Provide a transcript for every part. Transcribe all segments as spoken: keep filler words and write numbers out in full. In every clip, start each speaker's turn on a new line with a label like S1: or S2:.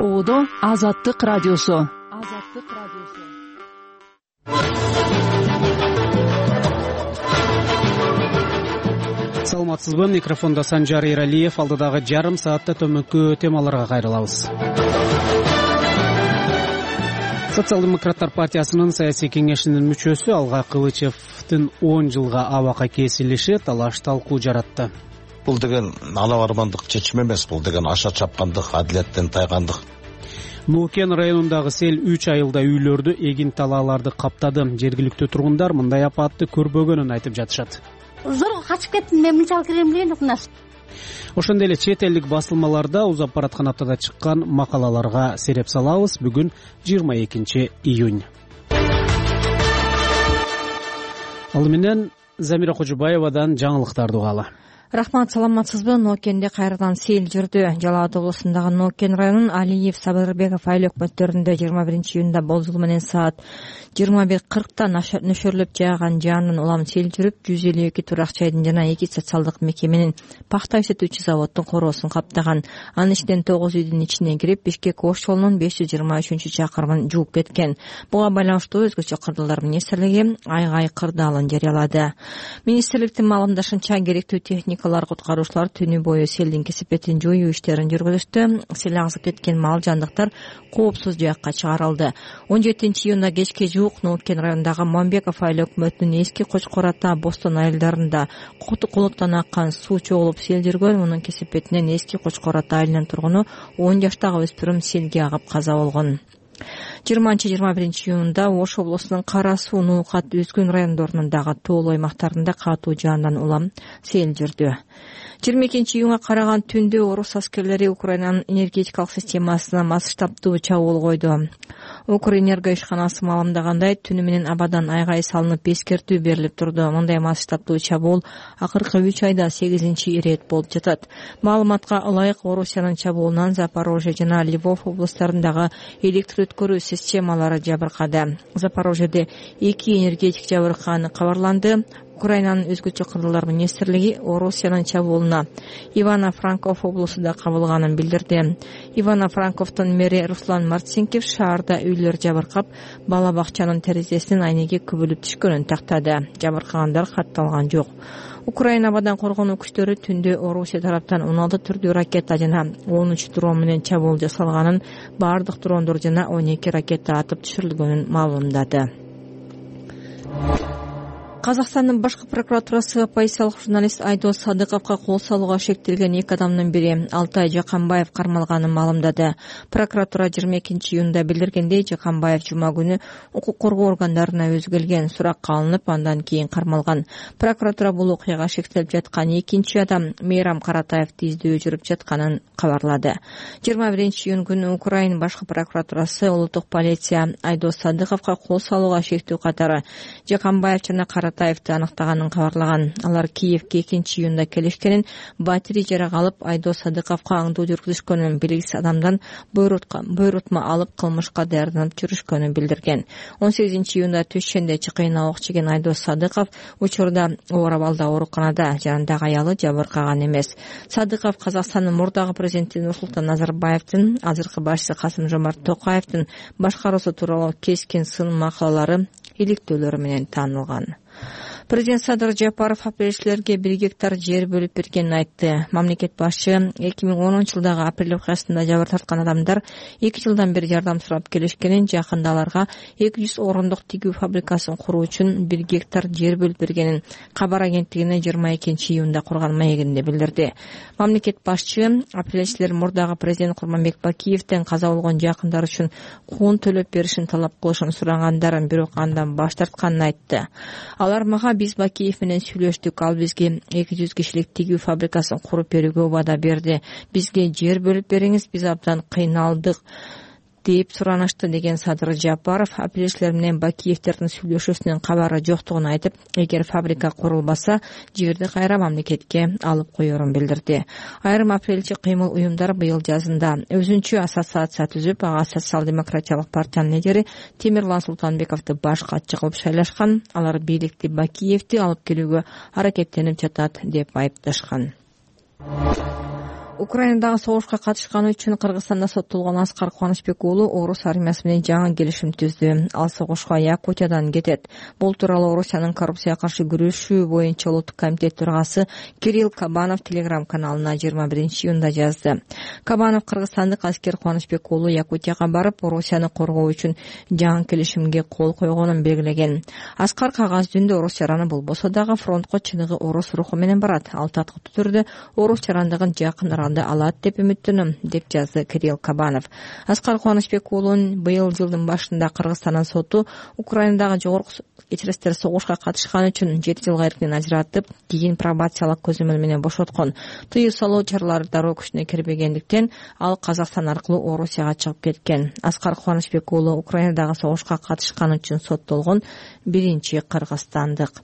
S1: Оодо Азаттык радиосу.
S2: Азаттык радиосу.
S3: Саламатсызбы? Микрофонда Санжар Эралиев. Алдыдагы жарым саатта төмөнкү темаларга кайрылабыз. Социал-демократтар партиясынын саясий кеңешинин мүчөсү Алга Кылычевдин он жылга абакка кесилиши талаш талкуу жаратты.
S4: Бул деген ала бармандык чечим эмес, бул деген аша чапкандык, адилеттен тайгандык.
S3: Нуукен районундагы сел үч айылда үйлөрдү, эгин талааларды каптады. Жергиликтүү тургундар мындай апатты көрбөгөнүн айтып жатышат.
S5: Зорго качып кеттим, мен мынчалык кирем эле укнас.
S3: Ошондой эле чет элдик басылмаларда узап бараткан аптада чыккан макалаларга сереп салабыз. Бүгүн жыйырма экинчи июнь. Ал менен Замира Кожубаевадан жаңылыктарды угалы.
S2: Рахмат, саламатсызбы? Ноокенде кайрадан сел жүрдү. Жалал Абад облусундагы Ноокен районунун Алиев, Сабырбеков айыл өкмөттөрүндө жыйырма биринчи июнда болжол менен саат жыйырма бир кыркта нөшөрлөп жааган жаандын улам сел жүрүп, жүз элүү эки турак жайдын жана эки социалдык мекеменин пахта иштетүүчү заводдун короосун каптаган. Анын ичинен тогуз үйдүн ичине кирип, Бишкек Ош жолунун беш жүз жыйырма үчүнчү чакырымын жууп кеткен. Буга байланыштуу өзгөчө кырдаалдар министрлиги айгай кырдаалын жарыялады. Министрликтин маалымдашынча, керектүү техника куткаруучулар түнү бою селдин кесипетин жоюу иштерин жүргүздү. Сел агызып кеткен мал жандыктар коопсуз жакка чыгарылды. он жетинчи июнда кечке жуук Ноокен районундагы Мамбеков айыл өкмөтүнүн эски Кочкор ата, Бостон айылдарында кулуптан аккан суу чогулуп сел жүргөн. Мунун кесипетинен эски Кочкор ата айылынын тургуну он жаштагы өспүрүм селге агып каза болгон. жыйырманчы жыйырма биринчи июнда Ош облусунун Кара суу, Нуукат, Үзгүн райондорунундагы тоолуу аймактарында катуу жаандан улам сел жүрдү. жыйырма экинчи июнга караган түндө орус аскерлери Украинанын энергетикалык системасына масштабдуу чабуул койду. Укрэнерго ишканасы маалымдагандай, түнү менен абадан айгай салынып, эскертүү берилип турду. Мындай масштабдуу чабуул акыркы үч айда сегизинчи ирет болуп жатат. Маалыматка ылайык, Орусиянын чабуулунан Запорожье жана Львов облустарындагы электр өткөрүү системалары жабыркады. Запорожьеде эки энергетик жабыркаганы кабарланды. Украинанын өзгөчө кырдаалдар министрлиги Орусиянын чабуулуна Ивано-Франков облусу да кабылганын билдирди. Ивано-Франковдун мэри Руслан Марцинкев шаарда үйлөр жабыркап, бала бакчанын терезесинин айнеги күбөлүп түшкөнүн тактады. Жабыркагандар катталган жок. Украина абадан коргонуу күчтөрү түндө Орусия тараптан он алты түрдүү ракета жана он үч дрон менен чабуул жасалганын, баардык дрондор жана он эки ракета атып түшүрүлгөнүн маалымдады. Казакстандын башкы прокуратурасы оппозициялык журналист Айдос Садыковго кол салууга шектелген эки адамдын бири Алтай Жаканбаев кармалганын маалымдады. Прокуратура жыйырма экинчи июнда билдиргендей, Жаканбаев жума күнү укук коргоо органдарына өзү келген, суракка алынып, андан кийин кармалган. Прокуратура бул окуяга шектелип жаткан экинчи адам Мейрам Каратаевди издөө жүрүп жатканын кабарлады. жыйырма биринчи июнь күнү Украина башкы прокуратурасы улуттук полиция Айдос Садыковго кол салууга шектүү катары Жаканбаев жана Каратаевди аныктаганын кабарлаган. Алар Киевке экинчи июнда келишкенин, батири жарак алып, Айдос Садыковго аңдуу жүргүзүшкөнүн, белгисиз адамдан буйрутма алып кылмышка даярданып жүрүшкөнүн билдирген. он сегизинчи июнда Түшченде чыкыйына ок жеген Айдос Садыков учурда оор абалда ооруканада, жанындагы аялы жабыркаган эмес. Садыков Казакстандын мурдагы президенти Нурсултан Назарбаевдин, азыркы башчысы Касым-Жомарт Токаевдин башкаруусу тууралуу кескин сын макалалары, иликтөөлөрү менен таанылган. Президент Садыр Жапаров апрелчилерге бир гектар жер бөлүп бергенин айтты. Мамлекет башчы эки миң онунчу жылдагы апрель окуясында жабыр тарткан адамдар эки жылдан бери жардам сурап келишкенин, жакында аларга эки жүз орундук тигүү фабрикасын куруу үчүн бир гектар жер бөлүп бергенин кабар агенттигине жыйырма экинчи июнда курган маегинде билдирди. Мамлекет башчы апрелчилер мурдагы президент Курманбек Бакиевден каза болгон жакындары үчүн куун төлөп беришин талап кылышын сурагандарын, бирок андан баш тартканын айтты. Алар мага биз Бакиев менен сүйлөштүк, ал бизге эки жүз кишилик тигүү фабрикасын куруп берүүгө убада берди. Бизге жер бөлүп бериңиз, биз абдан кыйналдык деп суранышты, деген Садыр Жапаров апрелчилер менен Бакиевтердин сүйлөшүүсүнүн кабары жоктугун айтып, эгер фабрика курулбаса, жерди кайра мамлекетке алып коерун билдирди. Айрым апрелчи кыймыл уюмдар быйыл жазында өзүнчө ассоциация түзүп, ага социал-демократиялык партиянын лидери Темирлан Султанбековду баш катчы кылып шайлашкан. Алар бийликти Бакиевди алып келүүгө аракеттенип жатат деп айыпташкан. Украинадагы согушка катышканы үчүн Кыргызстанда соттолгон Аскар Кубанычбек уулу орус армиясы менен жаңы келишим түздү. Ал согушка Якутиядан кетет. Бул тууралуу Орусиянын коррупцияга каршы күрөшүү боюнча улуттук комитет төрагасы Кирилл Кабанов Телеграм каналына жыйырма биринчи июнда жазды. Кабанов кыргызстандык Аскер Кубанычбек уулу Якутияга барып, Орусияны коргоо үчүн жаңы келишимге кол койгонун белгилеген. Аскар кагаз жүзүндө орус жараны болбосо дагы фронтко чыныгы орус руху менен барат. Ал таткыктуу түрдө орус жарандыгын жакын алат деп үмүттөнөм, деп жазды Кирилл Кабанов. Аскар Кубанычбек уулун быйыл жылдын башында Кыргызстандын соту Украинадагы жогорку кечиресиздер согушка катышканы үчүн жети жылга эркинен ажыратып, кийин пробациялык көзөмөл менен бошоткон. Тыюу салуу чаралары дароо күчүнө кирбегендиктен ал Казакстан аркылуу Орусияга чыгып кеткен. Аскар Кубанычбек уулу Украинадагы согушка катышканы үчүн соттолгон биринчи кыргызстандык.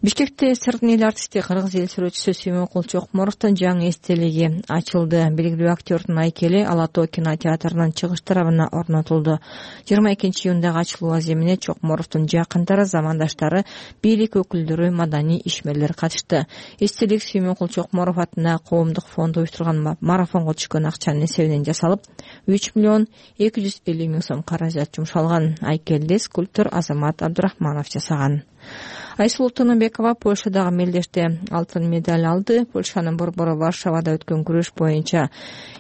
S2: Бишкекте сырдын эл артисти кыргыз эл сүрөтчүсү Сүймөнкул Чокморовдун жаңы эстелиги ачылды. Белгилүү актёрдун айкели Ала Тоо кинотеатрынын чыгыш тарабына орнотулду. жыйырма экинчи июндагы ачылуу аземине Чокморовдун жакындары, замандаштары, бийлик өкүлдөрү, маданий ишмерлер катышты. Эстелик Сүймөнкул Чокморов атына коомдук фонд уюштурган марафонго түшкөн акчанын эсебинен жасалып, үч миллион эки жүз элүү миң сом каражат жумшалган. Айкелди скульптор Азамат Абдурахманов жасаган. Айсулуу Тыныбекова Польшадагы мелдеште алтын медаль алды. Польшанын борбору Варшавада өткөн күрөш боюнча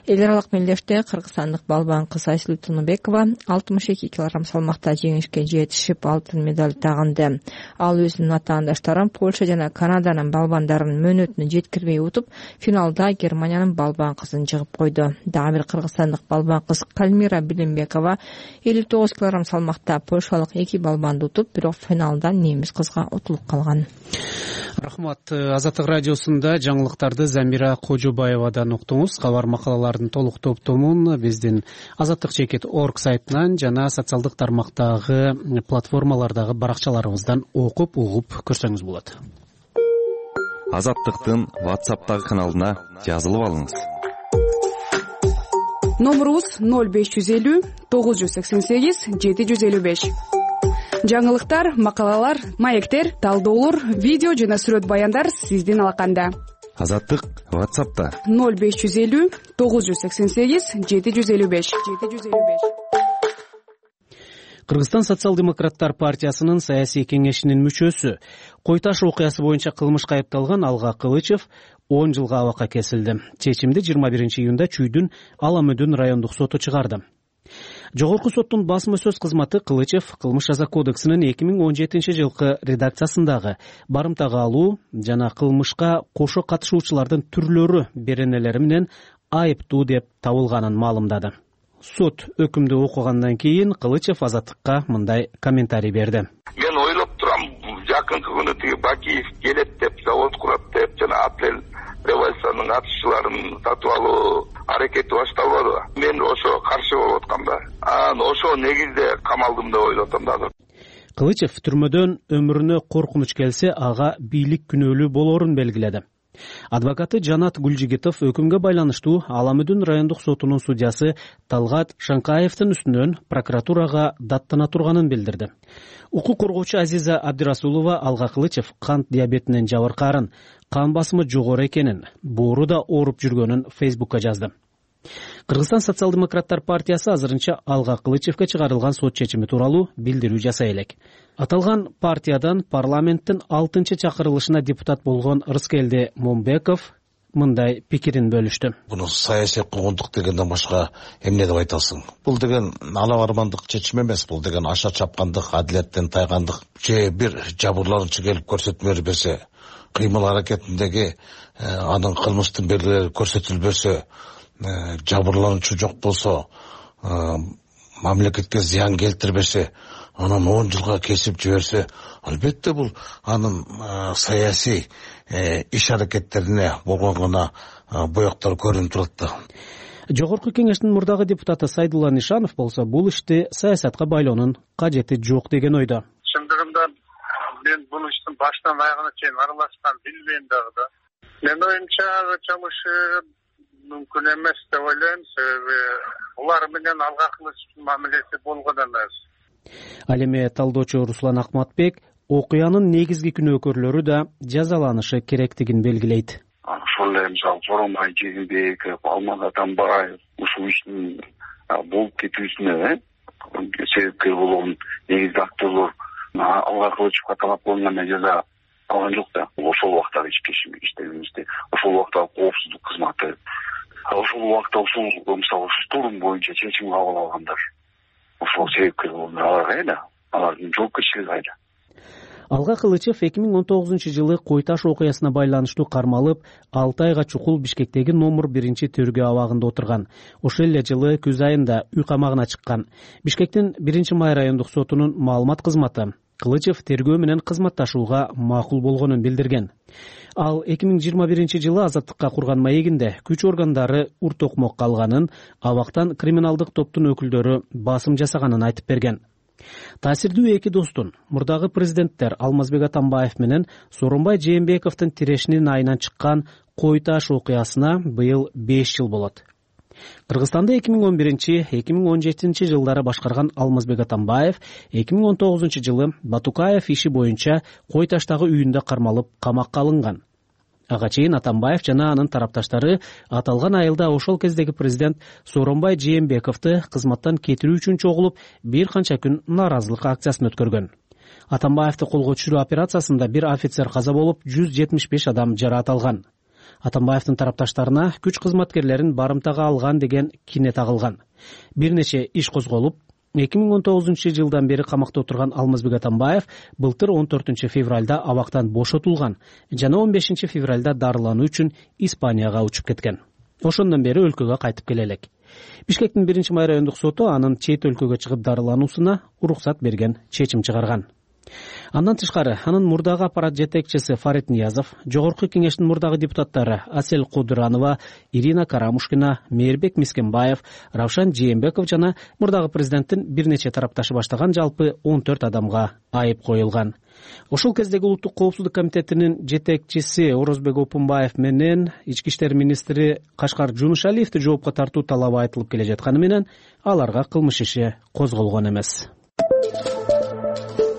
S2: эл аралык мелдеште кыргызстандык балбан кыз Айсулуу Тыныбекова алтымыш эки килограмм салмакта жеңишке жетишип алтын медаль тагынды. Ал өзүнүн атаандаштарын Польша жана Канаданын балбандарын мөөнөтүнө жеткирбей утуп, финалда Германиянын балбан кызын жыгып койду. Дагы бир кыргызстандык балбан кыз Кальмира Билимбекова элүү тогуз килограмм салмакта польшалык эки балбанды утуп, бирок финалда немис кызга калган.
S3: Рахмат. Азаттык радиосунда жаңылыктарды Замира Кожобаевадан уктуңуз. Кабар макалалардын толук топтомун биздин азаттык чекит точка орг сайтынан жана социалдык тармактагы платформалардагы баракчаларыбыздан окуп, угуп көрсөңүз болот.
S6: Азаттыктын WhatsApp'тагы каналына жазылып алыңыз.
S7: Номерубуз ноль беш жүз элүү тогуз жүз сексен сегиз жети жүз элүү беш. Жаңылыктар, макалалар, маектер, талдоолор, видео жана сүрөт баяндар сиздин алаканда.
S6: Азаттык WhatsApp'та
S7: ноль беш жүз элүү тогуз жүз сексен сегиз жети жүз элүү беш.
S3: Кыргызстан социал-демократтар партиясынын саясий кеңешинин мүчөсү, Кой Таш окуясы боюнча кылмышка айыпталган Алга Кылычев он жылга абакка кесилди. Чечимди жыйырма биринчи июнда Чүйдүн Ала Мөдөн райондук соту чыгарды. Жогорку соттун басма сөз кызматы Кылычев кылмыш жаза кодексинин эки миң он жетинчи жылкы редакциясындагы барымтага алуу жана кылмышка кошо катышуучулардын түрлөрү беренелери менен айыптуу деп табылганын маалымдады. Сот өкүмдү окугандан кийин Кылычев Азаттыкка мындай комментарий берди.
S8: Мен ойлоп турам, жакынкы күнү тиги Бакиев келет деп, завод курат деп, жана апрель революциянын катышчыларын сатып алуу аракети башталбады. Мен ошо каршы болуп аткам да. Анан ошо негизде камалдым деп ойлоп атам да.
S3: Кылычев түрмөдөн өмүрүнө коркунуч келсе, ага бийлик күнөөлүү болорун белгиледи. Адвокаты Жанат Гүлжигитов өкүмгө байланыштуу Ала Мөдөн райондук сотунун судьясы Талгат Шаңкаевдин үстүнөн прокуратурага даттана турганын билдирди. Укук коргоочу Азиза Абдирасулова Алга Кылычев кант диабетинен жабыркаарын, кан басымы жогору экенин, боору да ооруп жүргөнүн Фейсбукка жазды. Кыргызстан социал-демократтар партиясы азырынча Алга Кылычевге чыгарылган сот чечими тууралуу билдирүү жасай элек. Аталган партиядан парламенттин алтынчы чакырылышына депутат болгон Рыскелди Момбеков мындай пикирин бөлүштү.
S4: Буну саясий куугунтук дегенден башка эмне деп айтасың? Бул деген алабармандык чечим эмес, бул деген аша чапкандык, адилеттен тайгандык. Же бир жабырлануучу келип көрсөтмө берсе, кыймыл аракетиндеги анын кылмыштын белгилери көрсөтүлбөсө, жабырлануучу жок болсо, мамлекетке зыян келтирбесе, анан он жылга кесип жиберсе, албетте бул анын саясий иш аракеттерине болгон гана боектор көрүнүп турат да.
S3: Жогорку кеңештин мурдагы депутаты Сайдулла Нишанов болсо бул ишти саясатка байлоонун кажети жок деген ойдо.
S9: Чындыгында мен бул иштин баштан аягына чейин аралашкан билбейм дагы да. Менин оюмча чамышы мүмкүн эмес деп ойлойм, себеби улар менен Алга Кылычевдин мамилеси болгон эмес.
S3: Ал эми талдоочу Руслан Акматбек окуянын негизги күнөөкөрлөрү да жазаланышы керектигин белгилейт.
S9: ошол эле мисалы Сооронбай Жээнбеков, Алмаз Атамбаев ушул иштин болуп кетүүсүнө себепкер болгон негизги актерлор Алга Кылычевго талап кылынган жаза алган жок да. Ошол убактагы иштерибизде, ошол убактагы коопсуздук кызматы, ошол убакта ушул мисалы штурм боюнча чечим кабыл алгандар ошол себепкер болгон. Алар кайда? Алардын жоопкерчилиги кайда?
S3: Алга Кылычев эки миң он тогузунчу жылы Кой Таш окуясына байланыштуу кармалып, алты айга чукул Бишкектеги номер биринчи тергөө абагында отурган. Ошол эле жылы күз айында үй камагына чыккан. Бишкектин биринчи май райондук сотунун маалымат кызматы Кылычев тергөө менен кызматташууга макул болгонун билдирген. Ал эки миң жыйырма биринчи жылы азаттыкка курган маегинде күч органдары ур токмокко алганын, абактан криминалдык топтун өкүлдөрү басым жасаганын айтып берген. Таасирдүү эки достун, мурдагы президенттер Алмазбек Атамбаев менен Сооронбай Жээнбековдун тирешинин айынан чыккан Кой Таш окуясына быйыл беш жыл болот. Кыргызстанды эки миң он биринчи — эки миң он жетинчи жылдары башкарган Алмазбек Атамбаев эки миң он тогузунчу жылы Батукаев иши боюнча Кой Таштагы үйүндө кармалып камакка алынган. Ага чейин Атамбаев жана анын тарапташтары аталган айылда ошол кездеги президент Сооронбай Жээнбековду кызматтан кетирүү үчүн чогулуп, бир канча күн нааразылык акциясын өткөргөн. Атамбаевди колго түшүрүү операциясында бир офицер каза болуп, жүз жетимиш беш адам жараат алган. Атамбаевдин тарапташтарына күч кызматкерлерин барымтага алган деген кине тагылган. Бир нече иш козголуп, эки миң он тогузунчу жылдан бери камакта отурган Алмазбек Атамбаев былтыр он төртүнчү февралда абактан бошотулган жана он бешинчи февралда дарылануу үчүн Испанияга учуп кеткен. Ошондон бери өлкөгө кайтып келе элек. Бишкектин биринчи май райондук соту анын чет өлкөгө чыгып дарылануусуна уруксат берген чечим чыгарган. Андан тышкары, анын мурдагы аппарат жетекчиси Фарид Ниязов, Жогорку кеңештин мурдагы депутаттары Асель Кудуранова, Ирина Карамушкина, Мээрбек Мискенбаев, Равшан Жээнбеков жана мурдагы президенттин бир нече тарапташы баштаган жалпы он төрт адамга айып коюлган. Ошол кездеги Улуттук коопсуздук комитетинин жетекчиси Орозбек Опунбаев менен ички иштер министри Кашкар Жунушалиевди жоопко тартуу талабы айтылып келе жатканы менен аларга кылмыш иши козголгон эмес.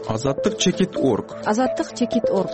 S10: Азаттык чекит точка орг.
S2: Азаттык чекит точка орг.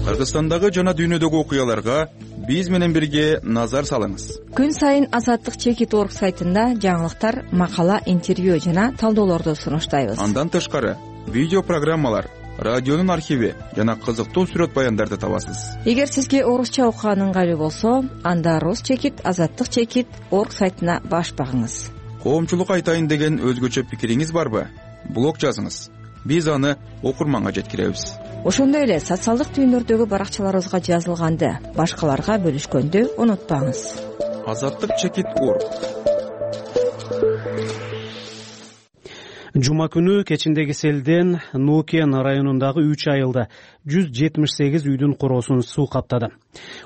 S10: Кыргызстандагы жана дүйнөдөгү окуяларга биз менен бирге назар салыңыз.
S2: Күн сайын Азаттык чекит точка орг сайтында жаңылыктар, макала, интервью жана талдоолорду сунуштайбыз.
S10: Андан тышкары видео программалар, радионун архиви жана кызыктуу сүрөт баяндарды табасыз.
S2: Эгер сизге орусча окуган ыңгайлуу болсо, анда рус чекит азаттык чекит точка орг сайтына баш багыңыз.
S10: Коомчулук айтайын деген өзгөчө пикириңиз барбы? Блог жазыңыз. Биз аны окурманга жеткиребиз.
S2: Ошондой эле социалдык түйүндөрдөгү баракчаларыбызга жазылганды башкаларга бөлүшкөндү унутпаңыз.
S10: Азаттык чекит точка орг.
S3: Жума күнү кечиндеги селден Нукен районундагы үч айылда жүз жетимиш сегиз үйдүн короосун суу каптады.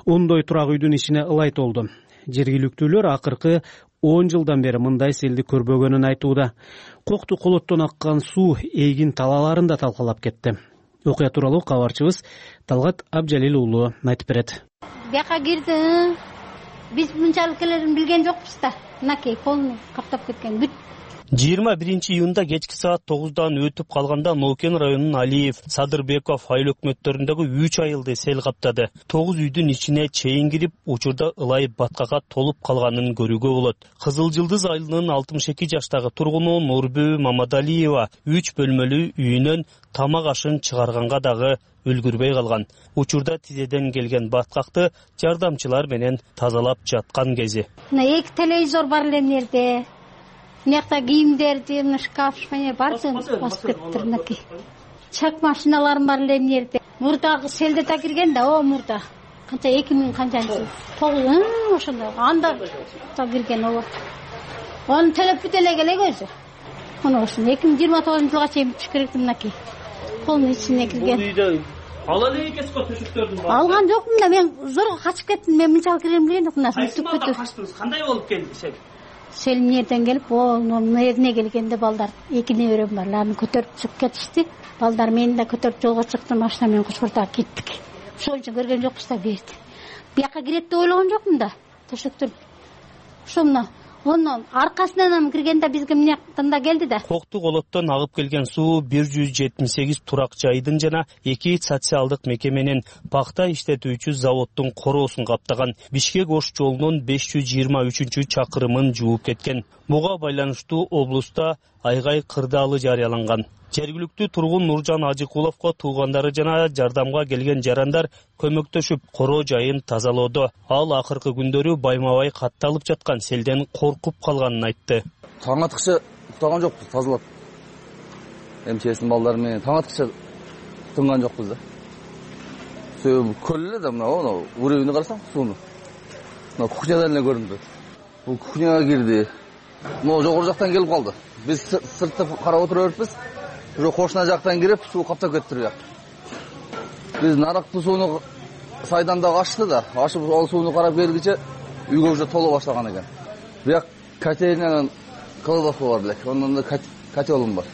S3: Ондой турак үйдүн ичине ылай толду. Жергиликтүүлөр акыркы он жылдан бери мындай селди көрбөгөнүн айтууда. Кокту колоттон аккан суу эгин талаларын да талкалап кетти. Окуя тууралуу кабарчыбыз Талгат Абжалил уулу айтып берет.
S5: Бияка кирди. Биз мынчалык келерин билген жокпуз да. Мынакей колун каптап кеткен бүт.
S11: жыйырма биринчи июнда кечки саат тогуздан өтүп калганда Нокен районунун Алиев, Садырбеков айыл өкмөттөрүндөгү үч айылды сел каптады. тогуз үйдүн ичине чейин кирип, учурда ылай баткага толуп калганын көрүүгө болот. Кызыл Жылдыз айылынын алтымыш эки жаштагы тургуну Нурбү Мамадалиева үч бөлмөлүү үйүнөн тамак ашын чыгарганга дагы үлгүрбөй калган. Учурда тизеден келген баткакты жардамчылар менен тазалап жаткан кези.
S5: Мына эки телевизор бар эле жерде. Мынакта кийимдерди, мына шкаф, шпане баардыгын басып кетиптир мынакей. Чак машиналарым бар эле мына жерде. Мурдагы селде да кирген да, о мурда. Канча эки миң канчанчы? тогуз ошондой. Анда да кирген о. Анын төлөп бүт эле элек өзү. Мына ошону эки миң жыйырма тогузунчу жылга чейин бүтүш керек мынакей. Колдун ичине кирген.
S11: Ала эле экесиз төшөктөрдүн бар.
S5: Алган жокмун да, мен зорго качып кеттим. Мен мынчалык кирем билген жокмун да.
S11: Качтыңыз, кандай болуп келди сел?
S5: Сел нерден келип, о, мына жерине келгенде балдар эки неберем бар, аларды көтөрүп чыгып кетишти. Балдар мени да көтөрүп жолго чыкты, машина менен кошкортуп кеттик. Ошол үчүн көргөн жокпуз да берди. Бияка кирет деп ойлогон жокмун да, төшөктөр. Ошо мына Онун аркасынан киргенде бизге мынияктан да келди да.
S11: Кокту колоттон агып келген суу бир жүз жетимиш сегиз турак жайдын жана эки социалдык мекеменин пахта иштетүүчү заводдун короосун каптаган. Бишкек Ош жолунун беш жүз жыйырма үчүнчү чакырымын жууп кеткен. Буга байланыштуу облуста айгай кырдаалы жарыяланган. Жергиликтүү тургун Нуржан Ажыкуловго туугандары жана жардамга келген жарандар көмөктөшүп короо жайын тазалоодо. Ал акыркы күндөрү байма-бай катталып жаткан селден коркуп калганын айтты.
S12: Таң аткыча уктаган жокпуз, тазалап. МЧСтин балдары менен таң аткыча тынган жокпуз да. Себеби көл эле да мына уровень карасаң сууну. Мына кухнядан эле көрүнүп турат. Бул кухняга кирди. Мына жогору жактан келип калды. Биз сыртта карап отура бериппиз. Уже кошуна жактан кирип, суу каптап кетти турак. Биз нарыктуу сууну сайдан да ачты да, ашып ал сууну карап келгиче үйгө уже толо баштаган экен. Бирок котельнянын кылыбасы бар элек. Онун да котелум бар.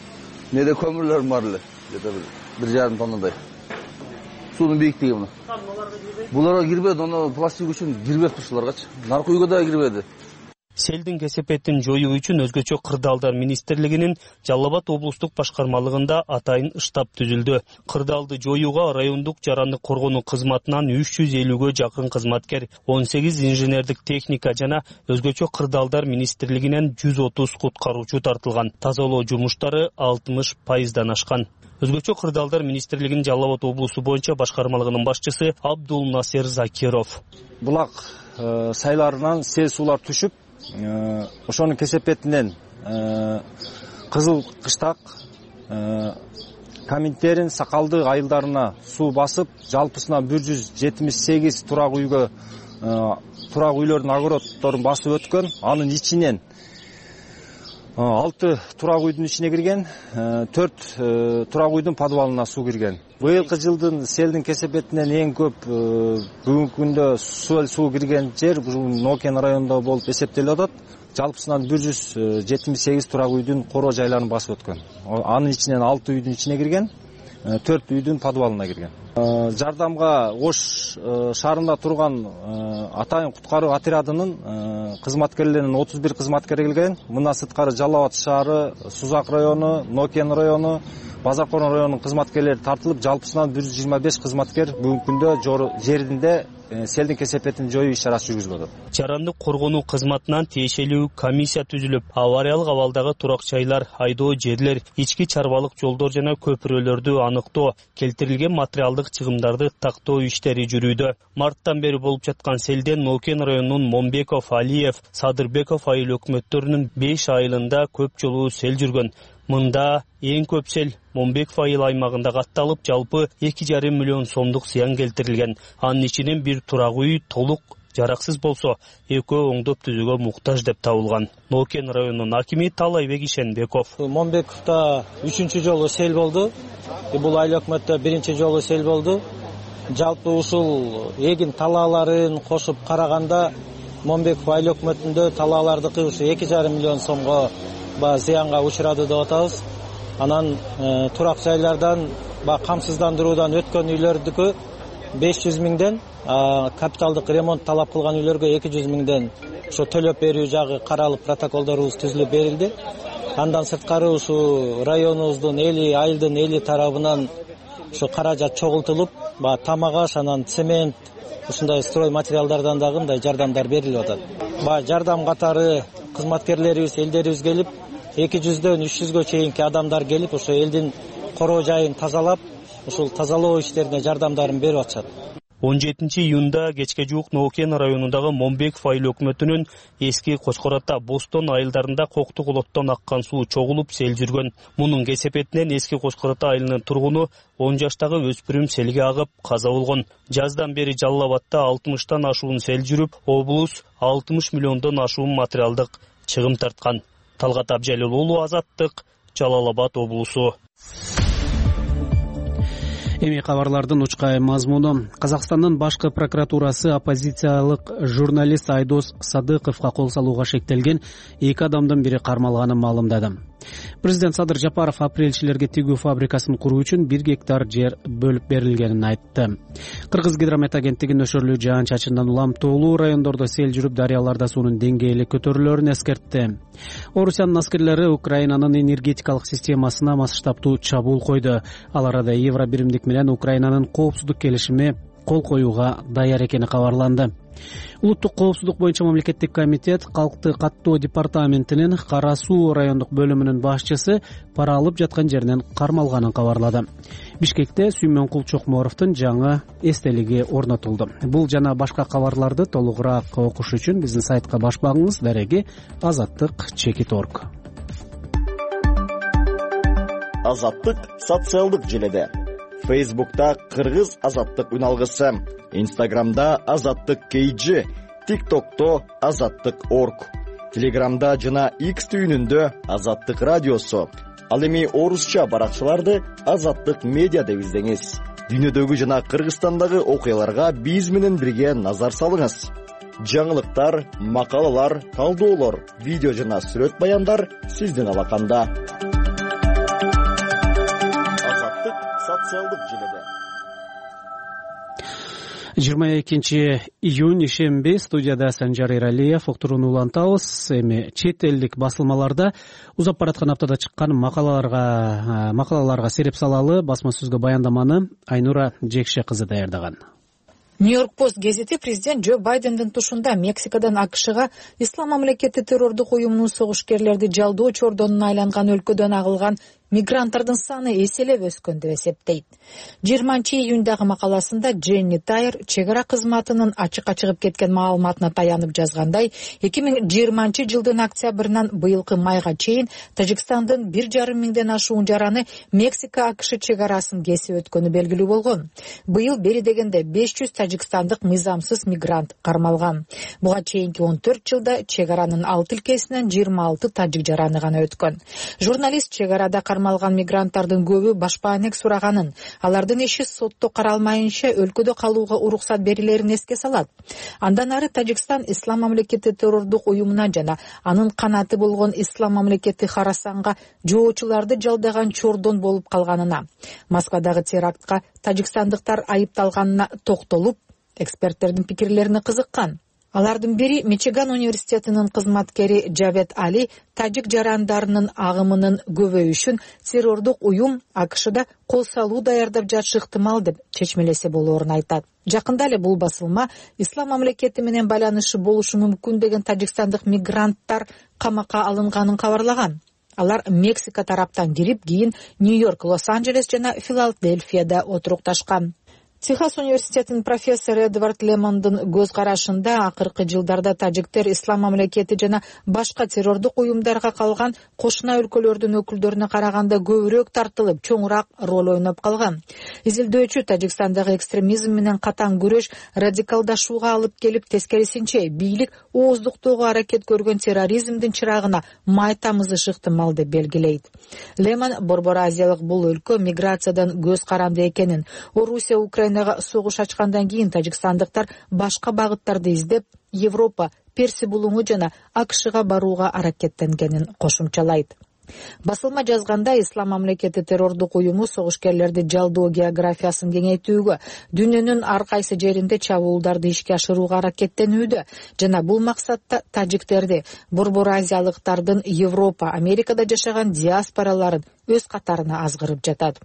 S12: Неде көмүрлөрүм бар эле. Где-то бир жарым тоннадай. Суунун бийиктиги мына. Буларга кирбеди, аны пластик үчүн кирбеп турушуларгачы. Наркы үйгө да кирбеди.
S11: Селдин кесепетин жоюу үчүн өзгөчө кырдаалдар министрлигинин Жалал Абад облустук башкармалыгында атайын штаб түзүлдү. Кырдаалды жоюуга райондук жарандык коргонуу кызматынан үч жүз элүүгө жакын кызматкер, он сегиз инженердик техника жана өзгөчө кырдаалдар министрлигинен жүз отуз куткаруучу тартылган. Тазалоо жумуштары алтымыш пайыздан ашкан. Өзгөчө кырдаалдар министрлигинин Жалал Абад облусу боюнча башкармалыгынын башчысы Абдул Насер Закиров.
S13: Булак сайларынан сел суулар түшүп, ошонун кесепетинен Кызыл Кыштак, Коминтерин, Сакалды айылдарына суу басып, жалпысынан бир жүз жетимиш сегиз турак үйгө турак үйлөрдүн огороддорун басып өткөн. Анын ичинен алты турак үйдүн ичине кирген, төрт турак үйдүн подвалына суу кирген. Быйылкы жылдын селдин кесепетинен эң көп бүгүнкү күндө суу суу кирген жер бул Нокен районунда болуп эсептелип атат. Жалпысынан бир жүз жетимиш сегиз турак үйдүн короо жайларын басып өткөн. Анын ичинен алты үйдүн ичине кирген, төрт үйдүн подвалына кирген. Жардамга Ош шаарында турган атайын куткаруу отрядынын кызматкерлеринин отуз бир кызматкери келген. Мындан сырткары Жалал Абад шаары, Сузак району, Нокен району, Базаркорон районунун кызматкерлери тартылып, жалпысынан бир жүз жыйырма беш кызматкер бүгүнкү күндө жеринде селдин кесепетин жоюу иш-чарасын жүргүзүп атат.
S11: Жарандык коргонуу кызматынан тиешелүү комиссия түзүлүп, авариялык абалдагы турак жайлар, айдоо жерлер, ички чарбалык жолдор жана көпүрөлөрдү аныктоо, келтирилген материалдык чыгымдарды тактоо иштери жүрүүдө. Марттан бери болуп жаткан селден Нокен районунун Момбеков, Алиев, Садырбеков айыл өкмөттөрүнүн беш айылында көп жолу сел жүргөн. Мында эң көп сел Момбеков айыл аймагында катталып, жалпы эки жарым миллион сомдук зыян келтирилген. Анын ичинен бир турак үй толук жараксыз болсо, экөө оңдоп түзүүгө муктаж деп табылган. Нокен районунун акими Талайбек Ишенбеков.
S14: Момбековдо үчүнчү жолу сел болду. Бул айыл өкмөттө биринчи жолу сел болду. Жалпы ушул эгин талааларын кошуп караганда Момбеков айыл өкмөтүндө талаалардыкы ушу эки жарым миллион сомго зыянга учурады деп атабыз. Анан э, турак жайлардан ба камсыздандыруудан өткөн үйлөрдүкү беш жүз миңден, капиталдык ремонт талап кылган үйлөргө эки жүз миңден ошо төлөп берүү жагы каралып, протоколдорубуз түзүлүп берилди. Андан сырткары ушу районубуздун эли, айылдын эли тарабынан ошо каражат чогултулуп, ба тамак аш, анан цемент, ушундай строй материалдардан дагы мындай жардамдар берилип атат. Ба жардам катары кызматкерлерибиз, элдерибиз келип, эки жүздөн үч жүзгө чейинки адамдар келип, ошо элдин короо жайын тазалап, ушул тазалоо иштерине жардамдарын берип атышат.
S11: он жетинчи июнда кечке жуук Нокен районундагы Момбеков айыл өкмөтүнүн эски Кочкор Ата, Бостон айылдарында Кокту колоттон аккан суу чогулуп сел жүргөн. Мунун кесепетинен эски Кочкор Ата айылынын тургуну он жаштагы өспүрүм селге агып каза болгон. Жаздан бери Жалал Абадта алтымыштан ашуун сел жүрүп, облус алтымыш миллиондон ашуун материалдык чыгым тарткан. Талгат Абжалил уулу, Азаттык, Жалал Абад облусу.
S3: Эми кабарлардын учкай мазмуну. Казакстандын башкы прокуратурасы оппозициялык журналист Айдос Садыковго кол салууга шектелген эки адамдын бири кармалганын маалымдады. Президент Садыр Жапаров апрелчилерге тигүү фабрикасын куруу үчүн бир гектар жер бөлүп берилгенин айтты. Кыргыз гидромет агенттиги нөшөрлүү жаан-чачындан улам тоолуу райондордо сел жүрүп, дарыяларда суунун деңгээли көтөрүлөөрүн эскертти. Орусиянын аскерлери Украинанын энергетикалык системасына масштабтуу чабуул койду. Ал арада Евро биримдик менен Украинанын коопсуздук келишими кол коюуга даяр экени кабарланды. Улуттук коопсуздук боюнча мамлекеттик комитет калкты каттоо департаментинин Кара суу райондук бөлүмүнүн башчысы пара алып жаткан жеринен кармалганын кабарлады. Бишкекте Сүймөнкул Чокморовдун жаңы эстелиги орнотулду. Бул жана башка кабарларды толугураак окуш үчүн биздин сайтка баш багыңыз. Дареги азаттык чекит точка орг.
S15: Азаттык социалдык желеде. Фейсбукта Кыргыз азаттык үналгысы, Инстаграмда азаттык кейжи, ТикТокто азаттык точка орг, Телеграмда жана X түйүнүндө азаттык радиосу. Ал эми орусча баракчаларды азаттык медиа деп издеңиз. Дүйнөдөгү жана Кыргызстандагы окуяларга биз менен бирге назар салыңыз. Жаңылыктар, макалалар, талдоолор, видео жана сүрөт баяндар сиздин алаканда. Азаттык социалдык желеде.
S3: жыйырма экинчи июнь ишемби, студияда Санжар Эралиев. Уктурууну улантабыз. Эми чет элдик басылмаларда узап бараткан аптада чыккан макалаларга макалаларга сереп салалы басма сөзгө баяндаманы Айнура Жекше кызы даярдаган.
S16: Нью-Йорк Пост гезити президент Джо Байдендин тушунда Мексикадан АКШга Ислам мамлекети террордук уюмунун согушкерлерди жалдоо чордонуна айланган өлкөдөн агылган мигранттардын саны эселеп өскөн деп эсептейт. жыйырманчы июндагы макаласында Дженни Тайер чек ара кызматынын ачыкка чыгып кеткен маалыматына таянып жазгандай, эки миң жыйырманчы жылдын октябрынан быйылкы майга чейин Тажикстандын бир жарым миңден ашуун жараны Мексика АКШ чек арасын кесип өткөнү белгилүү болгон. Быйыл бери дегенде беш жүз тажикстандык мыйзамсыз мигрант кармалган. Буга чейинки он төрт жылда чек аранын алты илкесинен жыйырма алты тажик жараны гана өткөн. Журналист чек арада кармалган мигранттардын көбү башпаанек сураганын, алардын иши сотто каралмайынча өлкөдө калууга уруксат берилерин эске салат. Андан ары Тажикстан Ислам мамлекети террордук уюмуна жана анын канаты болгон Ислам мамлекети Харасанга жоочуларды жалдаган чордон болуп калганына, Москвадагы терактка тажикстандыктар айыпталганына токтолуп, эксперттердин пикирлерине кызыккан. Алардын бири Мичиган университетинин кызматкери Джавед Али тажик жарандарынын агымынын көбөйүшүн террордук уюм АКШда кол салуу даярдап жатышы ыктымал деп чечмелесе болоорун айтат. Жакында эле бул басылма Ислам мамлекети менен байланышы болушу мүмкүн деген тажикстандык мигранттар камакка алынганын кабарлаган. Алар Мексика тараптан кирип, кийин Нью-Йорк, Лос-Анджелес жана Филадельфияда отурукташкан. Техас университетинин профессору Эдвард Лемондун көз карашында акыркы жылдарда тажиктер Ислам мамлекети жана башка террордук уюмдарга калган кошуна өлкөлөрдүн өкүлдөрүнө караганда көбүрөөк тартылып, чоңураак роль ойноп калган. Изилдөөчү Тажикстандагы экстремизм менен катаң күрөш радикалдашууга алып келип, тескерисинче бийлик ооздуктоого аракет көргөн терроризмдин чырагына май тамызышы ыктымал деп белгилейт. Лемон Борбор Азиялык бул өлкө миграциядан көз каранды экенин, Орусия Украина согуш ачкандан кийин тажикстандыктар башка багыттарды издеп, Европа, Перси булуңу жана АКШга барууга аракеттенгенин кошумчалайт. Басылма жазганда Ислам мамлекети террордук уюму согушкерлерди жалдоо географиясын кеңейтүүгө, дүйнөнүн ар кайсы жеринде чабуулдарды ишке ашырууга аракеттенүүдө жана бул максатта тажиктерди, Борбор Азиялыктардын Европа, Америкада жашаган диаспораларын өз катарына азгырып жатат.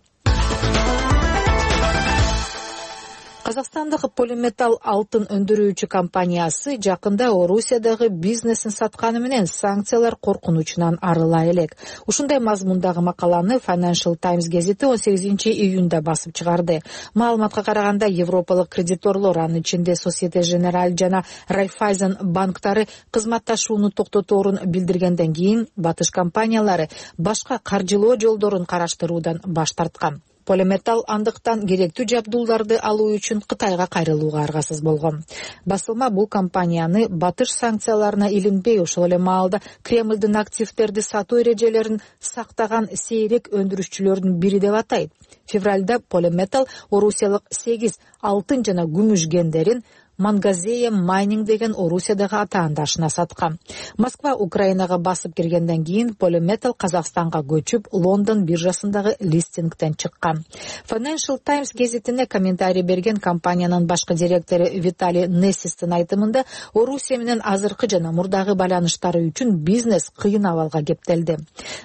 S16: Казакстандагы Полиметалл алтын өндүрүүчү компаниясы жакында Орусиядагы бизнесин сатканы менен санкциялар коркунучунан арыла элек. Ушундай мазмундагы макаланы Financial Times гезити он сегизинчи июнда басып чыгарды. Маалыматка караганда, европалык кредиторлор, анын ичинде Societe Generale жана Raiffeisen банктары кызматташууну токтоторун билдиргенден кийин батыш компаниялары башка каржылоо жолдорун караштыруудан баш тарткан. Полиметалл андыктан керектүү жабдууларды алуу үчүн Кытайга кайрылууга аргасыз болгон. Басылма бул компанияны батыш санкцияларына илинбей, ошол эле маалда Кремлдин активдерди сатуу эрежелерин сактаган сейрек өндүрүшчүлөрдүн бири деп атайт. Февралда Полиметалл орусиялык сегиз алтын жана күмүш кендерин Мангазея Майнинг деген Орусиядагы атаандашына саткан. Москва Украинага басып киргенден кийин Polymetal Казакстанга көчүп, Лондон биржасындагы листингден чыккан. Financial Times гезитине комментарий берген компаниянын башкы директору Виталий Нессистин айтымында, Орусия менен азыркы жана мурдагы байланыштары үчүн бизнес кыйын абалга кептелди.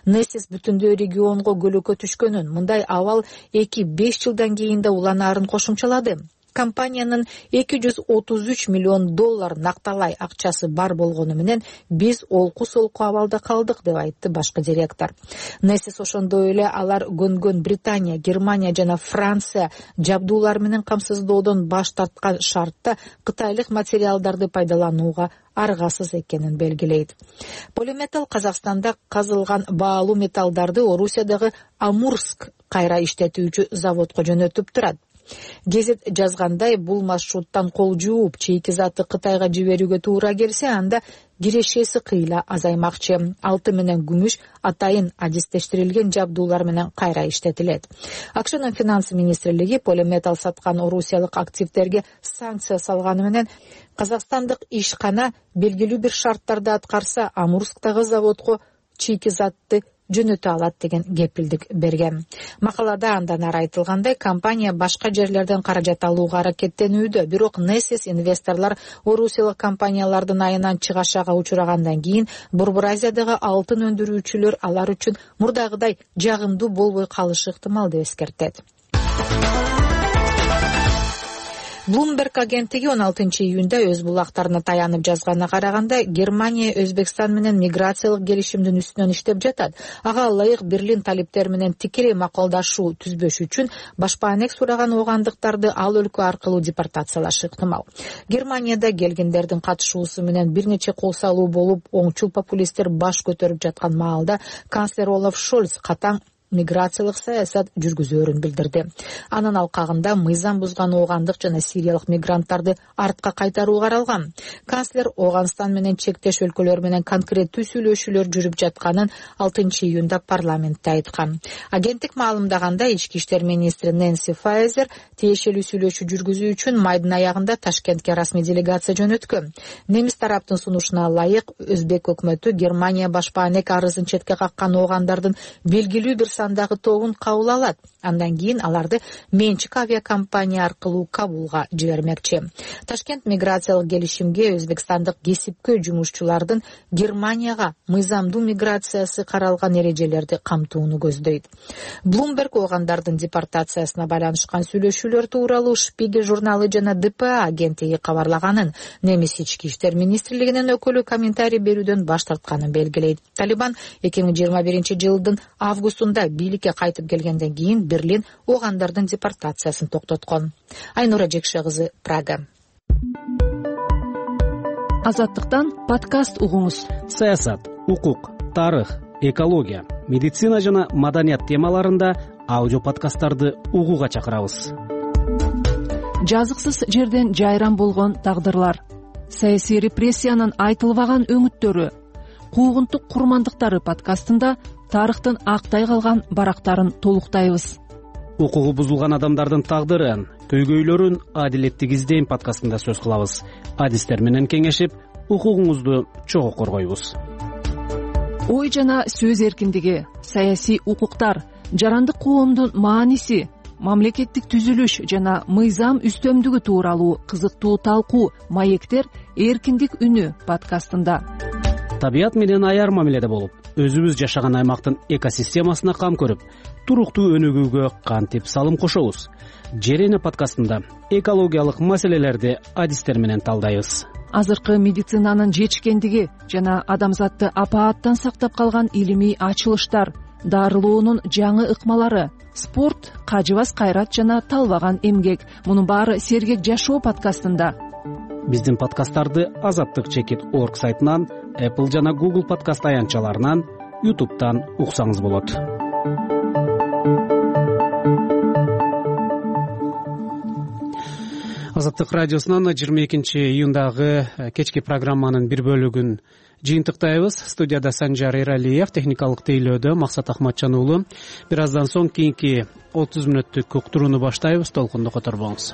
S16: Нессис бүтүндөй регионго көлөкө түшкөнүн, мындай абал эки-беш жылдан кийин да уланаарын кошумчалады. Компаниянын эки жүз отуз үч миллион доллар накталай акчасы бар болгону менен биз олку-солку абалда калдык, деп айтты башкы директор. Нессис ошондой эле алар көнгөн Британия, Германия жана Франция жабдуулар менен камсыздоодон баш тарткан шартта кытайлык материалдарды пайдаланууга аргасыз экенин белгилейт. Polymetal Казакстанда казылган баалуу металлдарды Орусиядагы Амурск кайра иштетүүчү заводко жөнөтүп турат. Гезит жазгандай, бул маршруттан кол жууп, чейки заты Кытайга жиберүүгө туура келсе, анда кирешеси кыйла азаймакчы. Алты менен күмүш атайын адистештирилген жабдуулар менен кайра иштетилет. АКШнын финанс министрлиги Polymetal саткан орусиялык активдерге санкция салганы менен казакстандык ишкана белгилүү бир шарттарды аткарса, Амурсктагы заводко чейки затты жөнөтө алат деген кепилдик берген. Макалада андан ары айтылгандай, компания башка жерлерден каражат алууга аракеттенүүдө, бирок Нессис инвесторлор орусиялык компаниялардын айынан чыгашага учурагандан кийин Борбор Азиядагы алтын өндүрүүчүлөр алар үчүн мурдагыдай жагымдуу болбой калышы ыктымал деп эскертет. Bloomberg агенттиги он алтынчы июнда өз булактарына таянып жазганына караганда, Германия Өзбекстан менен миграциялык келишимдин үстүнөн иштеп жатат. Ага ылайык Берлин талиптери менен тикелей макулдашуу түзбөш үчүн башпаанек сураган оогандыктарды ал өлкө аркылуу депортациялашы ыктымал. Германияда келгендердин катышуусу менен бир нече кол салуу болуп, оңчул популисттер баш көтөрүп жаткан маалда канцлер Олаф Шольц катаң миграциялык саясат жүргүзөөрүн билдирди. Анын алкагында мыйзам бузган оогандык жана сириялык мигранттарды артка кайтаруу каралган. Канцлер Ооганстан менен чектеш өлкөлөр менен конкреттүү сүйлөшүүлөр жүрүп жатканын алтынчы июнда парламентте айткан. Агенттик маалымдаганда, ички иштер министри Нэнси Файзер тиешелүү сүйлөшүү жүргүзүү үчүн майдын аягында Ташкентке расмий делегация жөнөткөн. Немис тараптын сунушуна ылайык, Өзбек өкмөтү Германия башпаанек арызын четке каккан оогандардын белгилүү бир сандагы тобун кабыл алат. Андан кийин аларды менчик авиакомпания аркылуу Кабулга жибермекчи. Ташкент миграциялык келишимге өзбекстандык кесипкөй жумушчулардын Германияга мыйзамдуу миграциясы каралган эрежелерди камтууну көздөйт. Bloomberg оогандардын депортациясына байланышкан сүйлөшүүлөр тууралуу Шпигель журналы жана Д П А агенттиги кабарлаганын, немис ички иштер министрлигинин өкүлү комментарий берүүдөн баш тартканын белгилейт. Талибан эки миң жыйырма биринчи жылдын августунда бийликке кайтып келгенден кийин Берлин оогандардын депортациясын токтоткон. Айнура Жекше кызы, Прага.
S1: Азаттыктан подкаст угуңуз.
S3: Саясат, укук, тарых, экология, медицина жана маданият темаларында аудио подкасттарды угууга чакырабыз.
S1: Жазыксыз жерден жайран болгон тагдырлар, саясий репрессиянын айтылбаган өңүттөрү, куугунтук курмандыктары подкастында тарыхтын актай калган барактарын толуктайбыз.
S3: Укугу бузулган адамдардын тагдырын, көйгөйлөрүн адилеттик издейм подкастында сөз кылабыз. Адистер менен кеңешип, укугуңузду чогуу коргойбуз.
S1: Ой жана сөз эркиндиги, саясий укуктар, жарандык коомдун мааниси, мамлекеттик түзүлүш жана мыйзам үстөмдүгү тууралуу кызыктуу талкуу «Маектер эркиндик үнү» подкастында.
S3: Табият менен аяр мамиледе болуп, өзүбүз жашаган аймактын экосистемасына кам көрүп, туруктуу өнүгүүгө кантип салым кошобуз? Жер эне подкастында экологиялык маселелерди адистер менен талдайбыз.
S1: Азыркы медицинанын жетишкендиги жана адамзатты апааттан сактап калган илимий ачылыштар, дарылоонун жаңы ыкмалары, спорт, кажыбас кайрат жана талбаган эмгек. Мунун баары Сергек жашоо подкастында.
S3: Биздин подкасттарды азаттык чекит точка орг сайтынан, Apple жана Google подкаст аянтчаларынан, YouTube'тан уксаңыз болот. Азаттык радиосунун жыйырма экинчи июндагы кечки программанын бир бөлүгүн жыйынтыктайбыз. Студияда Санжар Эралиев, техникалык тейлөөдө Максат Ахматжан уулу. Бир аздан соң кийинки отуз мүнөттүк уктурууну баштайбыз. Толкунду которбоңуз.